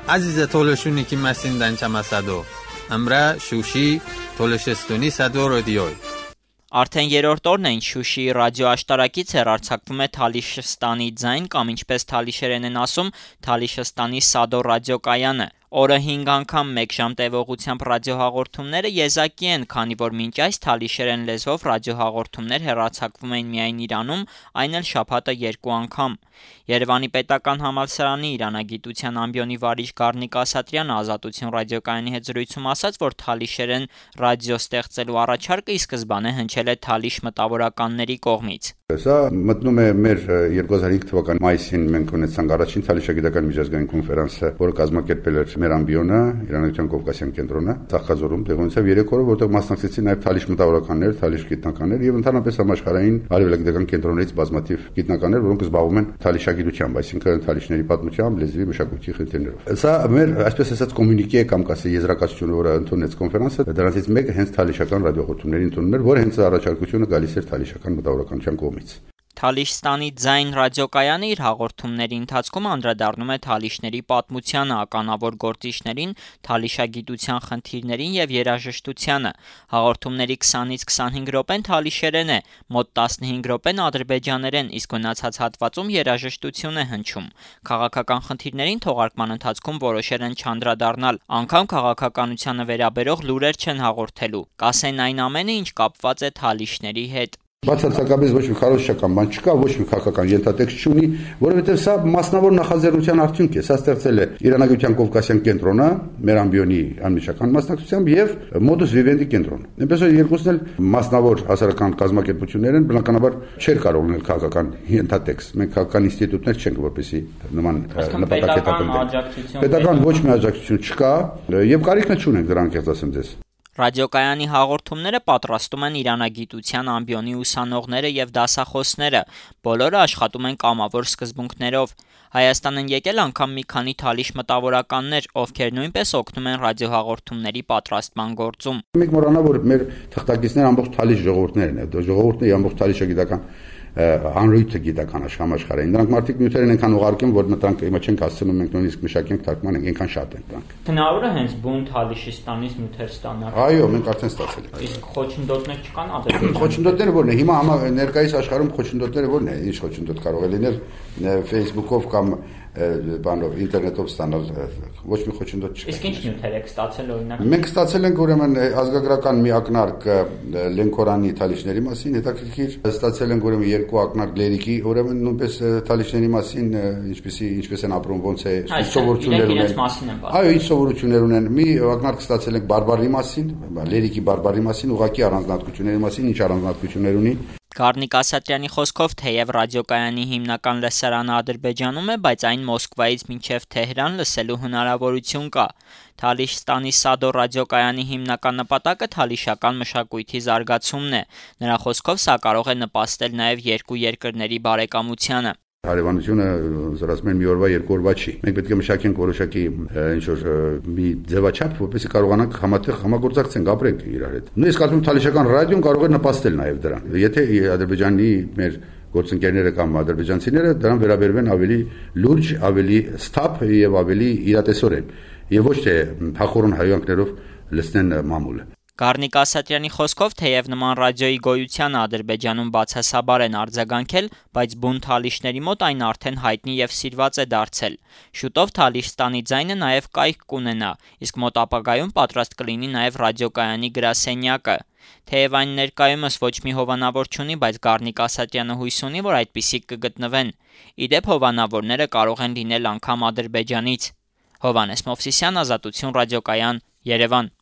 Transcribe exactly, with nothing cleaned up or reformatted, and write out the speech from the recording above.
عزیز تولشونی که مسین دنچه مسادو امرا شوشی تولشستونی صدو رادیوی Արդեն երրորդ օրն է ինչ Շուշիի ռադիոաշտարակից հեռարձակվում է Թալիշստանի ձայն կամ ինչպես թալիշերեն են ասում Թալիշստանի Սադո ռադիոկայանը։ Օրը հինգ անգամ մեկ ժամ տևողությամբ ռադիոհաղորդումները եզակի են, քանի որ մինչ այս թալիշերեն լեզվով ռադիոհաղորդումներ հեռարձակվում էին միայն Իրանում, այն էլ շաբաթը երկու անգամ։ Երևանի պետական համալսարանի իրանագիտության ամբիոնի վարիչ Գառնիկ Ասատրյանը Ազատություն ռադիոկայանի հետ զրույցում ասաց, որ թալիշերեն ռադիո ստեղծելու առաջարկը ի սկզբանե հնչել է թալիշ մտավորականների կողմից։ Սա մտնում է մեր երկու հազար հինգ թվականի մայիսին մենք ունեցանք առաջին թալիշագիտական միջազգային կոնֆերանսը, որը կազմակերպել էր մեր ամբիոնը, Իրանական Կովկասյան կենտրոնը, Ծաղկաձորում տեղի ունեցավ երեք օրը, որտեղ մասնակցեցին նաև թալիշ մտավորականներ, թալիշ գիտնականներ եւ ընդհանրապես համաշխարհային արևելագիտական կենտրոններից բազմաթիվ գիտնականներ, որոնք զբաղվում են թալիշագիտությամբ, այսինքն թալիշների պատմությամբ, լեզվի, մշակույթի խնդիրներով։ Սա մեր, այսպես ասած, կոմունիկե կամ կասե եզրակացությունը, որը ընդունեց կոնֆերանսը, դրանից մեկը հենց թալիշական ռադիոհաղորդումների ընդունումն էր, որը հենց առաջարկությունը գալիս էր թալիշական մտավորականության կողմից։ Թալիշստանի ձայն ռադիոկայանը իր հաղորդումների ընթացքում անդրադառնում է թալիշների պատմությանը, ականավոր գործիչներին, թալիշագիտության խնդիրներին եւ երաժշտությանը։ Հաղորդումների քսանից քսանհինգ րոպեն թալիշերեն է, մոտ տասնհինգ րոպեն ադրբեջաներեն, իսկ մնացած հատվածում երաժշտություն է հնչում։ Քաղաքական խնդիրներին թողարկման ընթացքում որոշել են չանդրադառնալ, անգամ քաղաքականությանը վերաբերող լուրեր չեն հաղորդելու։ Կասեն այն ամենը, ինչ կապված է թալիշների հետ։ Բացարձակապես ոչ մի քարոզչական բան չկա, ոչ մի քաղաքական ենթատեքստ չունի, որովհետև սա մասնավոր նախաձեռնության արդյունք է։ Սա ստեղծել է Իրանական Կովկասյան կենտրոնը, մեր ամբիոնի անմիջական մասնակցությամբ եւ Modus Vivendi կենտրոնը։ Այնպես որ երկուսն էլ մասնավոր հասարակական կազմակերպություններ են, բնականաբար չէր կարող ունել քաղաքական ենթատեքստ։ Մենք քաղաքական ինստիտուտներ չենք, որպեսզի նման նպատակետակնենք։ Պետական ոչ մի աջակցություն չկա եւ կարիքն չունենք դրանք, եղած ասեմ ձեզ։ Ռադիոկայանի հաղորդումները պատրաստում են իրանագիտության ամբիոնի ուսանողները եւ դասախոսները, բոլորը աշխատում են կամավոր սկզբունքներով։ Հայաստան են եկել անգամ մի քանի թալիշ մտավորականներ, ովքեր նույնպես օգնում են ռադիոհաղորդումների պատրաստման գործում։ Մենք մոռանա, որ մեր թղթակիցները ամբողջ թալիշ ժողովուրդներն են, ժողովուրդն է ամբողջ թալիշագիտական անրույթը գիտական աշխարհային։ Նրանք մարդիկ նյութերեն այնքան ուղարկեն, որ մտանք հիմա չենք հասցնում մենք նույնիսկ մշակենք թարգման ենք, այնքան շատ են դրանք։ Հնարավոր է հենց բուն Թալիշիստանից նյութեր ստանալ։ Այո, մենք արդեն ստացել ենք։ Իսկ խոչընդոտներ չկան Ադրբեջանում։ Խոչընդոտները ո՞րն է։ Հիմա ներկայիս աշխարհում խոչընդոտները ո՞րն է։ Ինչ խոչընդոտ կարող է լինել Facebook-ով կամ բանով ինտերնետով ստանալ, ոչ մի խոչընդոտ չկա։ Իսկ ինչ նյութեր եք ստացել օրինակ։ Մենք ստացել ենք ուրեմն ազգագրական մի ակնարկ Լենքորանի թալիշների մասին, հետաքրքիր ստացել ենք ուրեմն երկու ակնարկ Լերիկի, ուրեմն նույնպես թալիշների մասին, ինչպեսի ինչպես են ապրում, ոնց է սովորություններ ունեն։ Այո, ինչ սովորություններ ունեն։ Մի ակնարկ ստացել ենք բարբարի մասին, Լերիկի բարբարի մասին, ուղղակի առանձնահատկությունների մասին, ինչ առանձնահատկություններ ունի։ Գառնիկ Ասատրյանի խոսքով թեև ռադիոկայանի հիմնական լսարանը Ադրբեջանում է, բայց այն Մոսկվայից մինչև Թեհրան լսելու հնարավորություն կա։ Թալիշստանի Սադո ռադիոկայանի հիմնական նպատակը թալիշական մշակույթի զարգացումն է։ Նրա խոսքով սա կարող է նպաստել նաև երկու երկրների բարեկամությանը։ Հարևանությունը զորացում են մի օրվա երկու օրվա չի։ Մենք պետք է մշակենք որոշակի ինչ որ մի ձևաչափ, որպեսզի կարողանանք համատեղ համագործակցենք, ապրենք իրար հետ։ Նույնիսկ ասում թալիշական ռադիոն կարող է նպաստել նաև դրան։ Եթե Ադրբեջանի մեր գործընկերները կամ ադրբեջանցիները դրան վերաբերվեն ավելի լուրջ, ավելի սթափ եւ ավելի իրատեսորեն եւ ոչ թե փախորոն հայանքներով լցնեն մամուլը։ Գառնիկ Ասատրյանի խոսքով թեև նման ռադիոյի գոյությանը Ադրբեջանում բացասաբար են արձագանքել, բայց բուն թալիշների մոտ այն արդեն հայտնի եւ սիրված է դարձել։ Շուտով Թալիշստանի ձայնը նաեւ կայք կունենա, իսկ մոտ ապագայում պատրաստ կլինի նաեւ ռադիոկայանի գրասենյակը։ Թեև այն ներկայումս ոչ մի հովանավոր չունի, բայց Գառնիկ Ասատրյանը հույս ունի, որ այդպիսիք կգտնվեն։ Իդեպ հովանավորները կարող են լինել անգամ Ադրբեջանից։ Հովհաննես Մովսիսյան, Ազատություն ռադիոկայան, Երևան։